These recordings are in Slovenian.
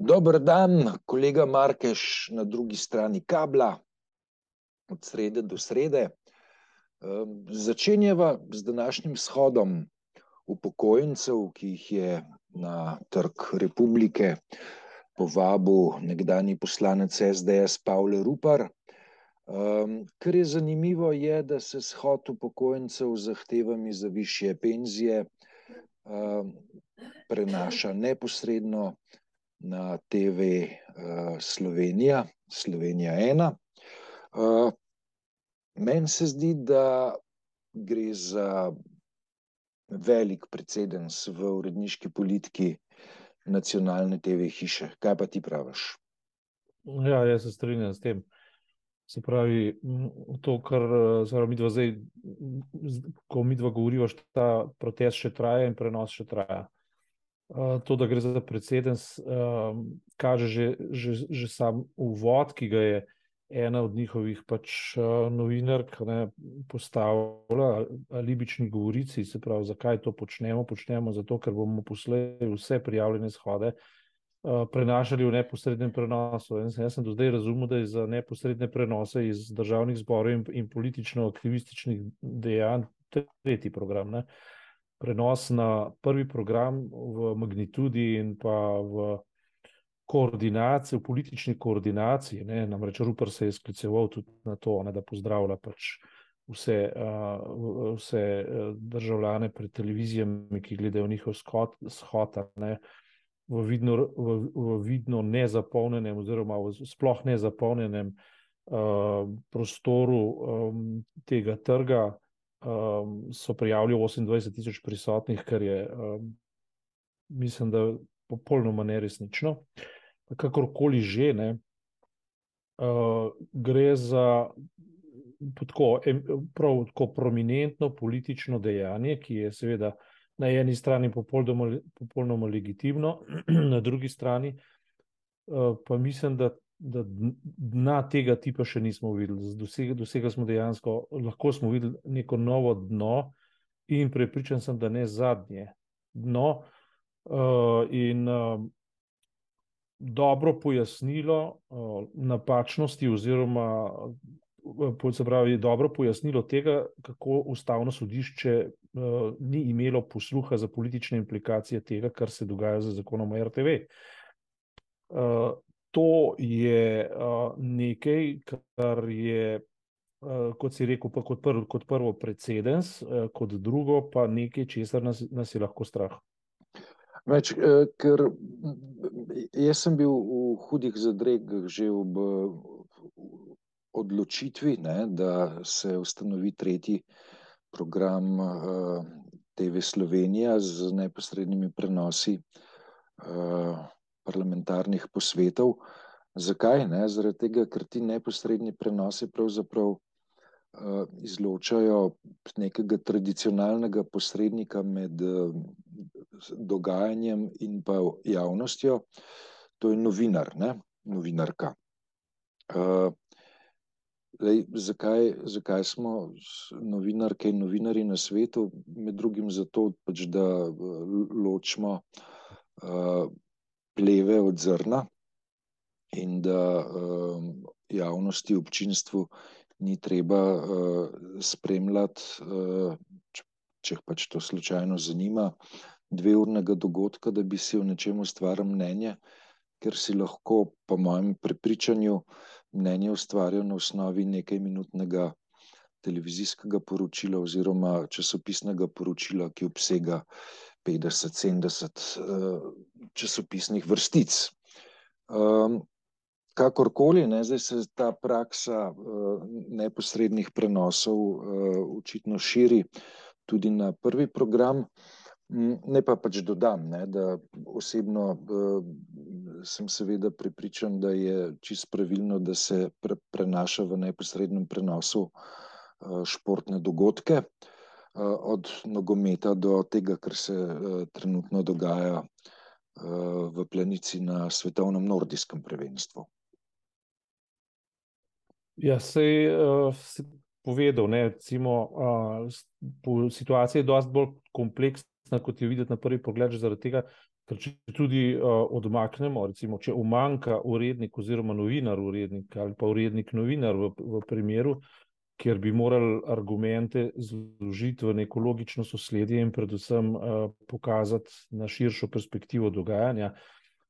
Dober dan, kolega Markeš na drugi strani kabla, od srede do srede. Začenjava z današnjim shodom upokojencev, ki jih je na Trg Republike povabil nekdanji poslanec SDS Pavle Rupar. Kar je zanimivo je, da se shod upokojencev z zahtevami za višje penzije prenaša neposredno na TV Slovenija, Slovenija 1. Meni se zdi, da gre za velik precedens v uredniški politiki nacionalne TV hiše. Kaj pa ti praviš? Ja, jaz se strinjam s tem. Se pravi, to, kar midva zdaj, ko midva govoriva, ta protest še traja in prenos še traja. To, da gre za precedens, kaže že sam uvod, ki ga je ena od njihovih novinark postavila, alibični govorici, se pravi, zakaj to počnemo. Počnemo zato, ker bomo poslej vse prijavljene shode prenašali v neposrednem prenosu. Jaz sem do zdaj razumel, da je za neposredne prenose iz državnih zborov in politično-aktivističnih dejanj tretji program, ne? Prenos na prvi program v magnitudi in pa v koordinaciji, v politični koordinaciji, ne? Namreč Rupar se je skliceval tudi na to, da pozdravlja vse državljane pred televizijami, ki gledajo njihov shod, ne? V vidno nezapolnjenem oziroma sploh nezapolnjenem prostoru tega trga so prijavili 28,000 prisotnih, kar je, mislim, da popolnoma neresnično. Kakorkoli že, ne, gre za prav tako prominentno politično dejanje, ki je seveda na eni strani popolnoma legitimno, na drugi strani pa mislim, da dna tega tipa še nismo videli. Dosega smo dejansko, lahko smo videli neko novo dno in prepričan sem, da ne zadnje dno. In dobro pojasnilo napačnosti oziroma se pravi, dobro pojasnilo tega, kako ustavno sodišče ni imelo posluha za politične implikacije tega, kar se dogaja z zakonom o RTV. To je nekaj, kar je, kot si rekel, pa kot prvo precedens, kot drugo pa nekaj, česar nas je lahko strah. Več, ker jaz sem bil v hudih zadregah že ob odločitvi, ne, da se ustanovi tretji program TV Slovenija z neposrednimi prenosi parlamentarnih posvetov. Zakaj? Ne? Zaradi tega, ker ti neposredni prenosi pravzaprav izločajo nekega tradicionalnega posrednika med dogajanjem in pa javnostjo. To je novinar, ne? Novinarka. Zakaj smo novinarke in novinarji na svetu? Med drugim zato, da ločimo pleve od zrna in da javnosti, občinstvu ni treba spremljati, če pač to slučajno zanima, 2-urnega dogodka, da bi si o nečem ustvaril mnenje, ker si lahko, po mojem prepričanju, mnenje ustvarjal na osnovi nekajminutnega televizijskega poročila oziroma časopisnega poročila, ki obsega 50-70 časopisnih vrstic. Kakorkoli, ne, zdaj se ta praksa neposrednih prenosov očitno širi tudi na prvi program. Ne pa pač dodam, ne, da osebno sem seveda prepričan, da je čisto pravilno, da se prenaša v neposrednem prenosu športne dogodke, od nogometa do tega, kar se trenutno dogaja v Planici na svetovnem nordijskem prvenstvu. Ja, sej si povedal, ne, recimo, situacija je dosti bolj kompleksna, kot jo videti na prvi pogled, zaradi tega, Ker če tudi odmaknemo, recimo, če umanjka urednik oziroma novinar urednik ali pa urednik novinar v primeru, kjer bi morali argumente zložiti v neko logično sosledje in predvsem pokazati na širšo perspektivo dogajanja,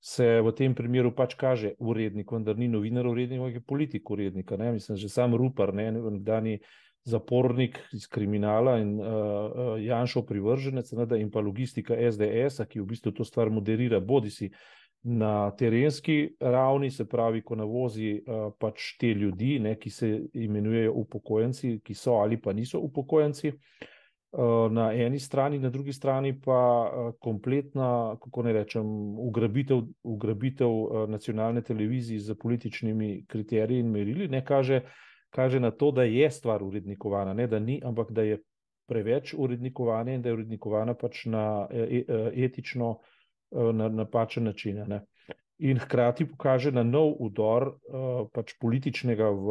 se v tem primeru pač kaže urednik, vendar ni novinar urednik, ampak je politik urednika. Ne? Mislim, že sam Rupar, nekdanji zapornik iz kriminala in Janšov privrženec, in pa logistika SDS-a, ki v bistvu to stvar moderira, bodisi na terenski ravni, se pravi, ko navozi pač te ljudi, ki se imenujejo upokojenci, ki so ali pa niso upokojenci, na eni strani, na drugi strani pa kompletna, kako ne rečem, ugrabitev nacionalne televizije z političnimi kriteriji in merili, kaže na to, da je stvar urednikovana, ne da ni, ampak da je preveč urednikovanja in da je urednikovana pač na etično na napačen način. Ne. In hkrati pokaže na nov udor pač političnega v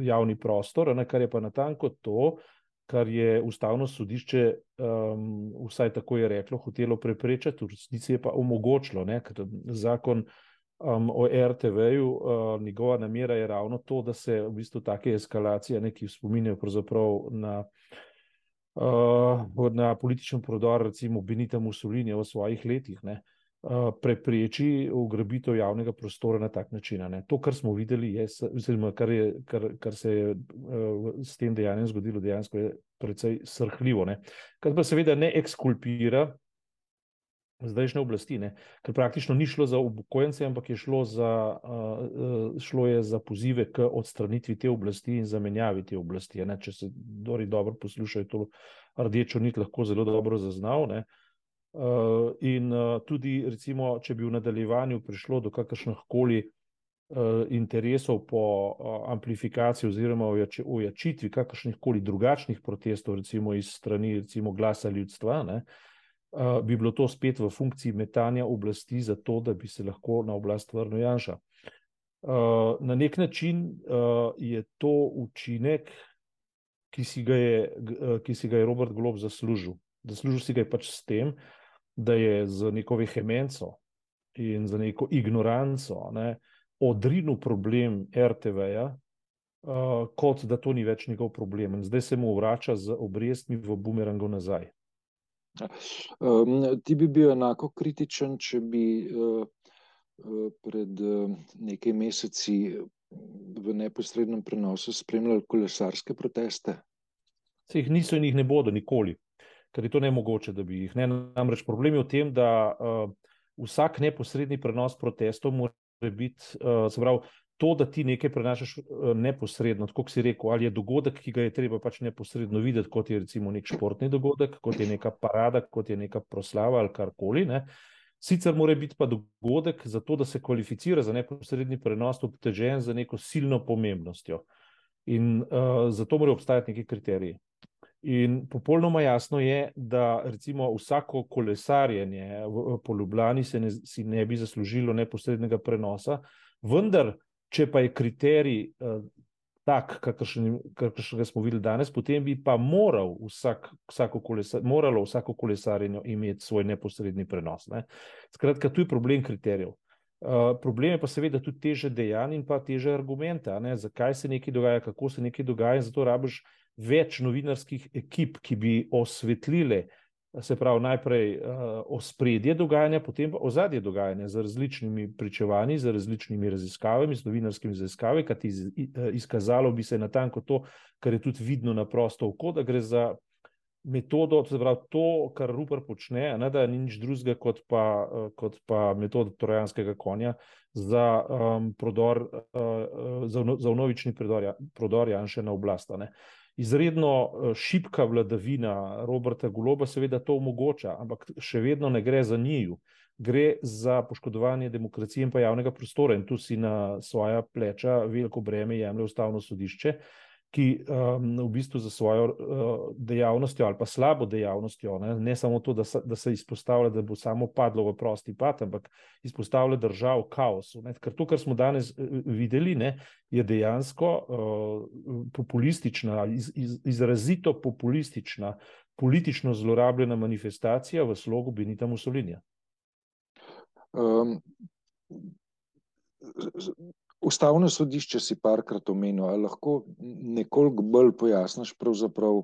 javni prostor, kar je pa natanko to, kar je Ustavno sodišče, vsaj tako je reklo, hotelo preprečiti, v resnici je pa omogočilo, ker zakon o RTV-ju, njegova namera je ravno to, da se v bistvu take eskalacije, ki spominjajo pravzaprav na političen prodor, recimo Benita Mussolinija v svojih letih, prepreči ugrabitev javnega prostora na tak način. To, kar smo videli, kar se je s tem dejanjem zgodilo, dejansko je precej srhljivo. Kar pa seveda ne ekskulpira zdajšnje oblasti, ker praktično ni šlo za upokojence, ampak je šlo je za pozive k odstranitvi te oblasti in zamenjavi te oblasti. Če se dobro poslušajo, to rdečo nit lahko zelo dobro zaznal. In tudi, recimo, če bi v nadaljevanju prišlo do kakršnihkoli interesov po amplifikaciji oziroma ojačitvi kakršnihkoli drugačnih protestov, recimo iz strani Glasa ljudstva, bi bilo to spet v funkciji metanja oblasti za to, da bi se lahko na oblast vrnil Janša. Na nek način je to učinek, ki si ga je Robert Golob zaslužil. Zaslužil si ga je pač s tem, da je z neko vehemenco in z neko ignoranco odrinil problem RTV-ja, kot da to ni več njegov problem. In zdaj se mu vrača z obrestmi v bumerangu nazaj. Ti bi bil enako kritičen, če bi pred nekaj meseci v neposrednem prenosu spremljali kolesarske proteste? Se jih niso in jih ne bodo nikoli, ker je to nemogoče, da bi jih. Namreč problem je v tem, da vsak neposredni prenos protestov mora biti, se pravi, to, da ti nekaj prenašaš neposredno, tako kot si rekel, ali je dogodek, ki ga je treba pač neposredno videti, kot je recimo nek športni dogodek, kot je neka parada, kot je neka proslava ali karkoli. Sicer mora biti pa dogodek za to, da se kvalificira za neposredni prenos, obtežen za neko silno pomembnostjo. In zato morajo obstajati neki kriteriji. In popolnoma jasno je, da recimo vsako kolesarjenje po Ljubljani si ne bi zaslužilo neposrednega prenosa, vendar če pa je kriterij tak, kakršnega smo videli danes, potem bi pa moralo vsako kolesarjenje imeti svoj neposredni prenos. Skratka, tu je problem kriterijev. Problem je pa seveda tudi teže dejanj in pa teže argumenta, zakaj se nekaj dogaja, kako se nekaj dogaja, in zato rabiš več novinarskih ekip, ki bi osvetlile, se pravi, najprej ospredje dogajanja, potem pa ozadje dogajanja z različnimi pričevanji, z različnimi raziskavami, z novinarskimi raziskavami, kajti izkazalo bi se natanko to, kar je tudi vidno na prosto oko, da gre za metodo, se pravi, to, kar Rupar počne, da ni nič drugega kot pa metoda trojanskega konja za vnovični prodor Janše na oblast. Izredno šibka vladavina Roberta Goloba seveda to omogoča, ampak še vedno ne gre za njiju. Gre za poškodovanje demokracije in pa javnega prostora, in tu si na svoja pleča veliko breme jemlje Ustavno sodišče, ki v bistvu za svojo dejavnostjo ali pa slabo dejavnostjo, ne samo to, da se izpostavlja, da bo samo padlo v prosti pad, ampak izpostavlja državo kaosu. Ker to, kar smo danes videli, je dejansko populistična, izrazito populistična, politično zlorabljena manifestacija v slogu Benita Mussolinija. Ustavno sodišče si parkrat omenil, ali lahko nekoliko bolj pojasniš pravzaprav,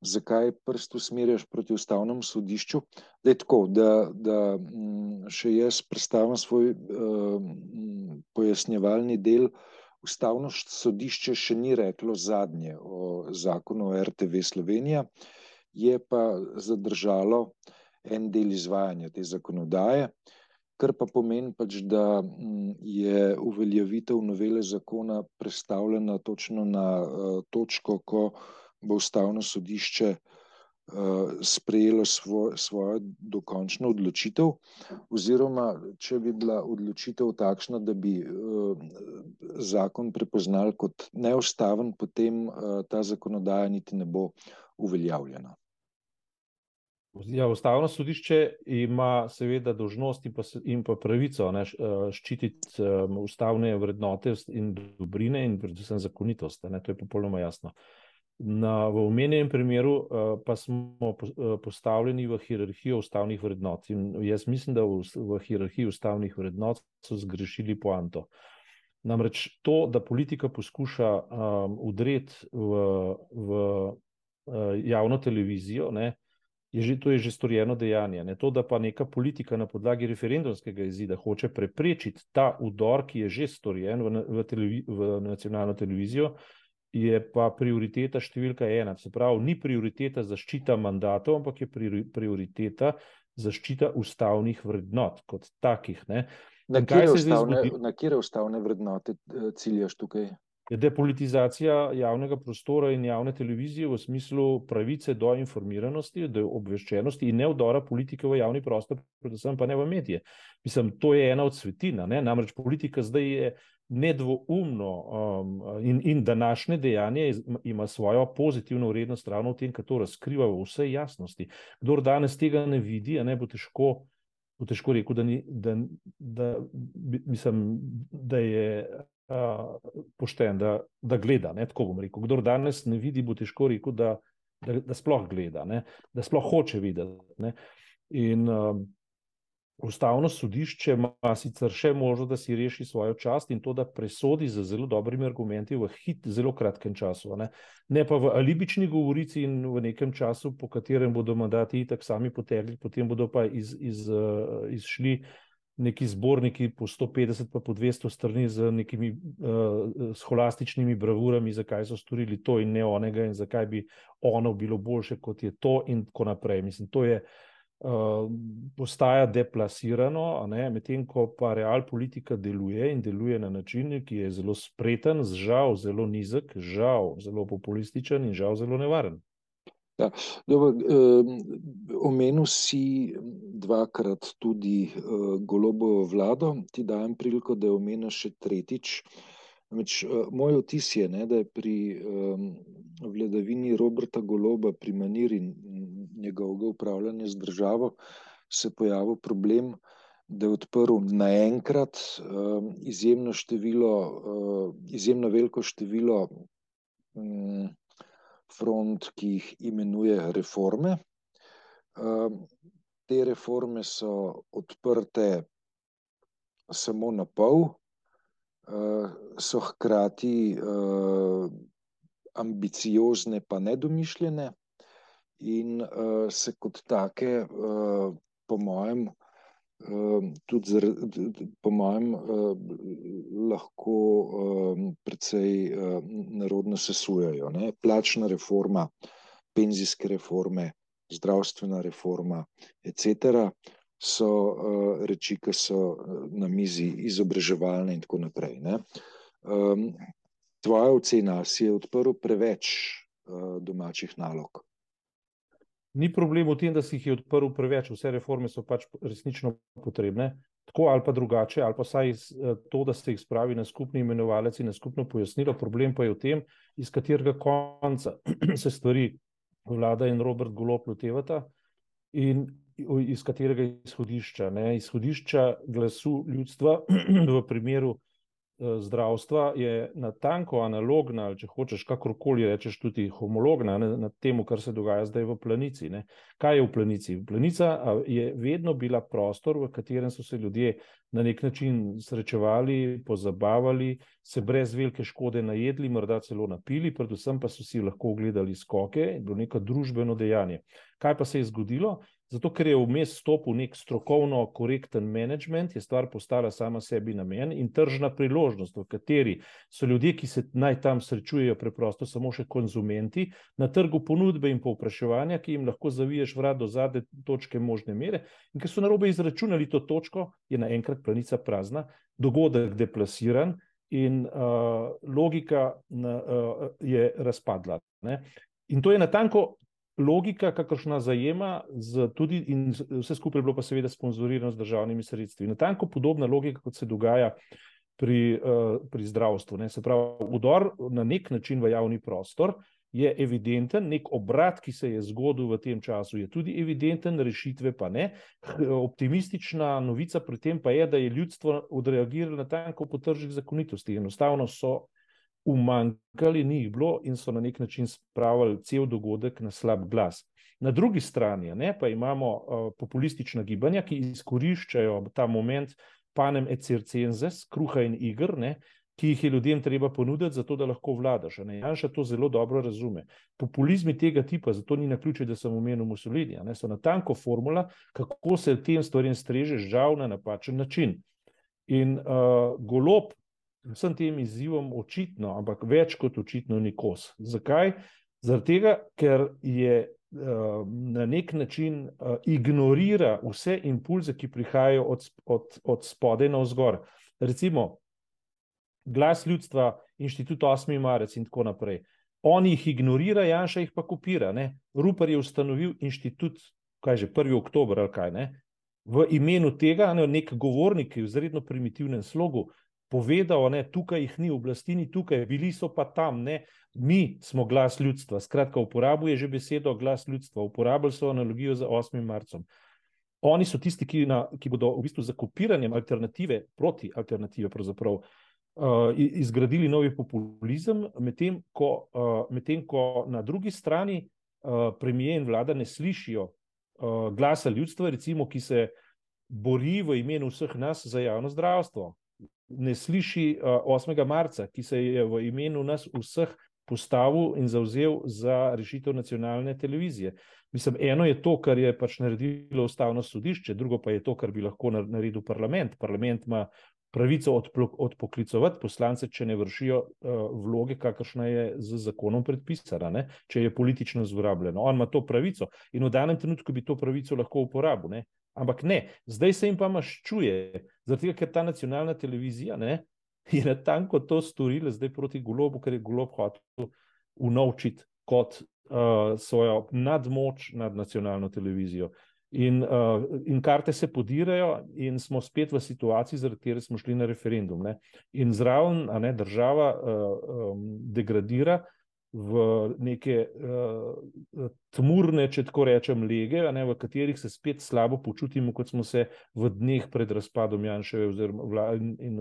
zakaj prst usmerjaš proti Ustavnemu sodišču? Da je tako, da še jaz predstavim svoj pojasnjevalni del. Ustavno sodišče še ni reklo zadnje o zakonu o RTV Slovenija, je pa zadržalo en del izvajanja te zakonodaje, kar pa pomeni pač, da je uveljavitev novele zakona prestavljena točno na točko, ko bo Ustavno sodišče sprejelo svojo dokončno odločitev, oziroma če bi bila odločitev takšna, da bi zakon prepoznali kot neustaven, potem ta zakonodaja niti ne bo uveljavljena. Ja, Ustavno sodišče ima seveda dolžnost in pa pravico ščititi ustavne vrednote in dobrine in predvsem zakonitost. To je popolnoma jasno. V omenjenem primeru pa smo postavljeni v hierarhijo ustavnih vrednot. In jaz mislim, da v hierarhiji ustavnih vrednot so zgrešili poanto. Namreč to, da politika poskuša vdreti v javno televizijo, to je že storjeno dejanje. To, da pa neka politika na podlagi referendumskega izida hoče preprečiti ta vdor, ki je že storjen v nacionalno televizijo, je pa prioriteta številka 1. Se pravi, ni prioriteta zaščita mandatov, ampak je prioriteta zaščita ustavnih vrednot kot takih. Na katere ustavne vrednote ciljaš tukaj? Depolitizacija javnega prostora in javne televizije v smislu pravice do informiranosti, do obveščenosti in ne vdora politike v javni prostor, predvsem pa ne v medije. Mislim, to je ena od svetina. Namreč politika zdaj je nedvoumno in današnje dejanje ima svojo pozitivno vrednost ravno v tem, ker to razkriva v vsej jasnosti. Kdor danes tega ne vidi, bo težko rekel, da je pošten, da gleda, tako bom rekel. Kdor danes ne vidi, bo težko rekel, da sploh gleda, da sploh hoče videti. In Ustavno sodišče ima sicer še možnost, da si reši svojo čast in to, da presodi z zelo dobrimi argumenti v zelo kratkem času. Ne pa v alibični govorici in v nekem času, po katerem bodo mandati itak sami potegli, potem bodo pa izšli neki zborniki po 150 pa po 200 strani z nekimi scholastičnimi bravurami, zakaj so storili to in ne onega in zakaj bi ono bilo boljše, kot je to in tako naprej. Mislim, to je postaja deplasirano, medtem ko pa realpolitika deluje in deluje na način, ki je zelo spreten, žal zelo nizek, žal zelo populističen in žal zelo nevaren. Ja, dobro, omenil si dvakrat tudi Golobovo vlado, ti dajem priliko, da jo omeniš še tretjič. Moj vtis je, da je pri vladavini Roberta Goloba, pri maniri njegovega upravljanja z državo, se pojavil problem, da je odprl naenkrat izjemno veliko število front, ki jih imenuje reforme. Te reforme so odprte samo na pol, so hkrati ambiciozne pa nedomišljene in se kot take po mojem lahko precej nerodno sesujejo. Plačna reforma, penzijske reforme, zdravstvena reforma, etc. so reči, ki so na mizi, izobraževalne in tako naprej. Tvoja ocena, si je odprl preveč domačih nalog? Ni problem v tem, da si jih je odprl preveč, vse reforme so pač resnično potrebne, tako ali pa drugače, ali pa vsaj to, da se jih spravi na skupni imenovalec in na skupno pojasnilo. Problem pa je v tem, iz katerega konca se stvari vlada in Robert Golob lotevata in iz katerega izhodišča. Izhodišča glasu ljudstva v primeru zdravstva je natanko analogna, ali če hočeš kakorkoli rečeš tudi homologna na temu, kar se dogaja zdaj v Planici. Ne. Kaj je v Planici? Planica je vedno bila prostor, v katerem so se ljudje na nek način srečevali, pozabavali, se brez velike škode najedli, morda celo napili, predvsem pa so si lahko ogledali skoke, bilo neko družbeno dejanje. Kaj pa se je zgodilo? Zato, ker je vmes stopil nek strokovno korekten management, je stvar postala sama sebi namen in tržna priložnost, v kateri so ljudje, ki se naj tam srečujejo, preprosto samo še konzumenti, na trgu ponudbe in povpraševanja, ki jim lahko zaviješ vrat do zadnje točke možne mere, in ker so narobe izračunali to točko, je naenkrat Planica prazna, dogodek deplasiran in logika je razpadla. Ne? In to je natanko logika, kakršna zajema tudi, in vse skupaj je bilo pa seveda sponzorirano z državnimi sredstvi. Natanko podobna logika, kot se dogaja pri zdravstvu. Ne. Se pravi, vdor na nek način v javni prostor je evidenten, nek obrat, ki se je zgodil v tem času, je tudi evidenten, rešitve pa ne. Optimistična novica pri tem pa je, da je ljudstvo odreagiralo natanko po tržnih zakonitosti. Enostavno so umanjkali, ni jih bilo in so na nek način spravili cel dogodek na slab glas. Na drugi strani pa imamo populistična gibanja, ki izkoriščajo ta moment panem et circenses, kruha in iger, ki jih je ljudem treba ponuditi, zato da lahko vladaš. Janša to zelo dobro razume. Populizmi tega tipa, zato ni naključje, da sem omenil Mussolinija, so natanko formula, kako se tem stvarem streže, žal na napačen način. In Golob vsem tem izzivom očitno, ampak več kot očitno ni kos. Zakaj? Zaradi tega, ker je na nek način ignorira vse impulze, ki prihajajo od spodaj navzgor. Recimo, Glas ljudstva, Inštitut 8. marec in tako naprej. On jih ignorira, Janša jih pa kopira. Ne? Rupar je ustanovil inštitut, 1. oktober ali kaj, v imenu tega, nek govornik, ki je v izredno primitivnem slogu, povedal, tukaj jih ni, oblasti ni tukaj, bili so pa tam, mi smo glas ljudstva. Skratka, uporabil je že besedo glas ljudstva, uporabili so analogijo za 8. marcem. Oni so tisti, ki bodo v bistvu za kopiranjem alternative, proti alternative pravzaprav, izgradili novi populizem, medtem ko na drugi strani premier in vlada ne slišijo glasa ljudstva, recimo, ki se bori v imenu vseh nas za javno zdravstvo. Ne sliši 8. marca, ki se je v imenu nas vseh postavil in zavzel za rešitev nacionalne televizije. Mislim, eno je to, kar je pač naredilo Ustavno sodišče, drugo pa je to, kar bi lahko naredil parlament. Parlament ima pravico odpoklicovati poslance, če ne vršijo vloge, kakršna je z zakonom predpisana, če je politično zlorabljeno. On ima to pravico in v danem trenutku bi to pravico lahko uporabil. Ampak ne, zdaj se jim pa maščuje, zaradi tega, ker ta nacionalna televizija je natanko to storila zdaj proti Golobu, ker je Golob hotel unovčiti kot svojo nadmoč nad nacionalno televizijo. In karte se podirajo in smo spet v situaciji, zaradi katere smo šli na referendum. In zraven država degradira v neke tmurne, če tako rečem, lege, v katerih se spet slabo počutimo, kot smo se v dneh pred razpadom Janševe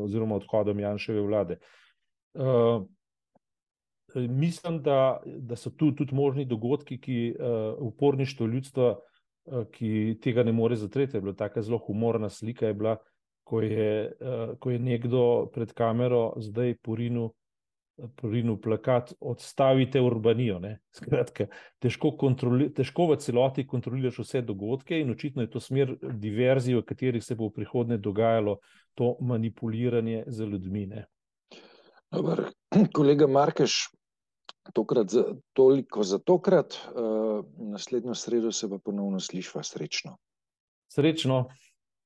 oziroma odhodom Janševe vlade. Mislim, da so tu tudi možni dogodki, ki uporništvo ljudstva, ki tega ne more zatreti. Je bila taka zelo humorna slika, je bila, ko je nekdo pred kamero zdaj porinil plakat Odstavite Urbanijo. Skratka, težko v celoti kontroliraš vse dogodke in očitno je to smer diverzij, v katerih se bo v prihodnje dogajalo to manipuliranje z ljudmi. Dobar, kolega Markeš, toliko za tokrat. Naslednjo sredo se pa ponovno slišva. Srečno. Srečno.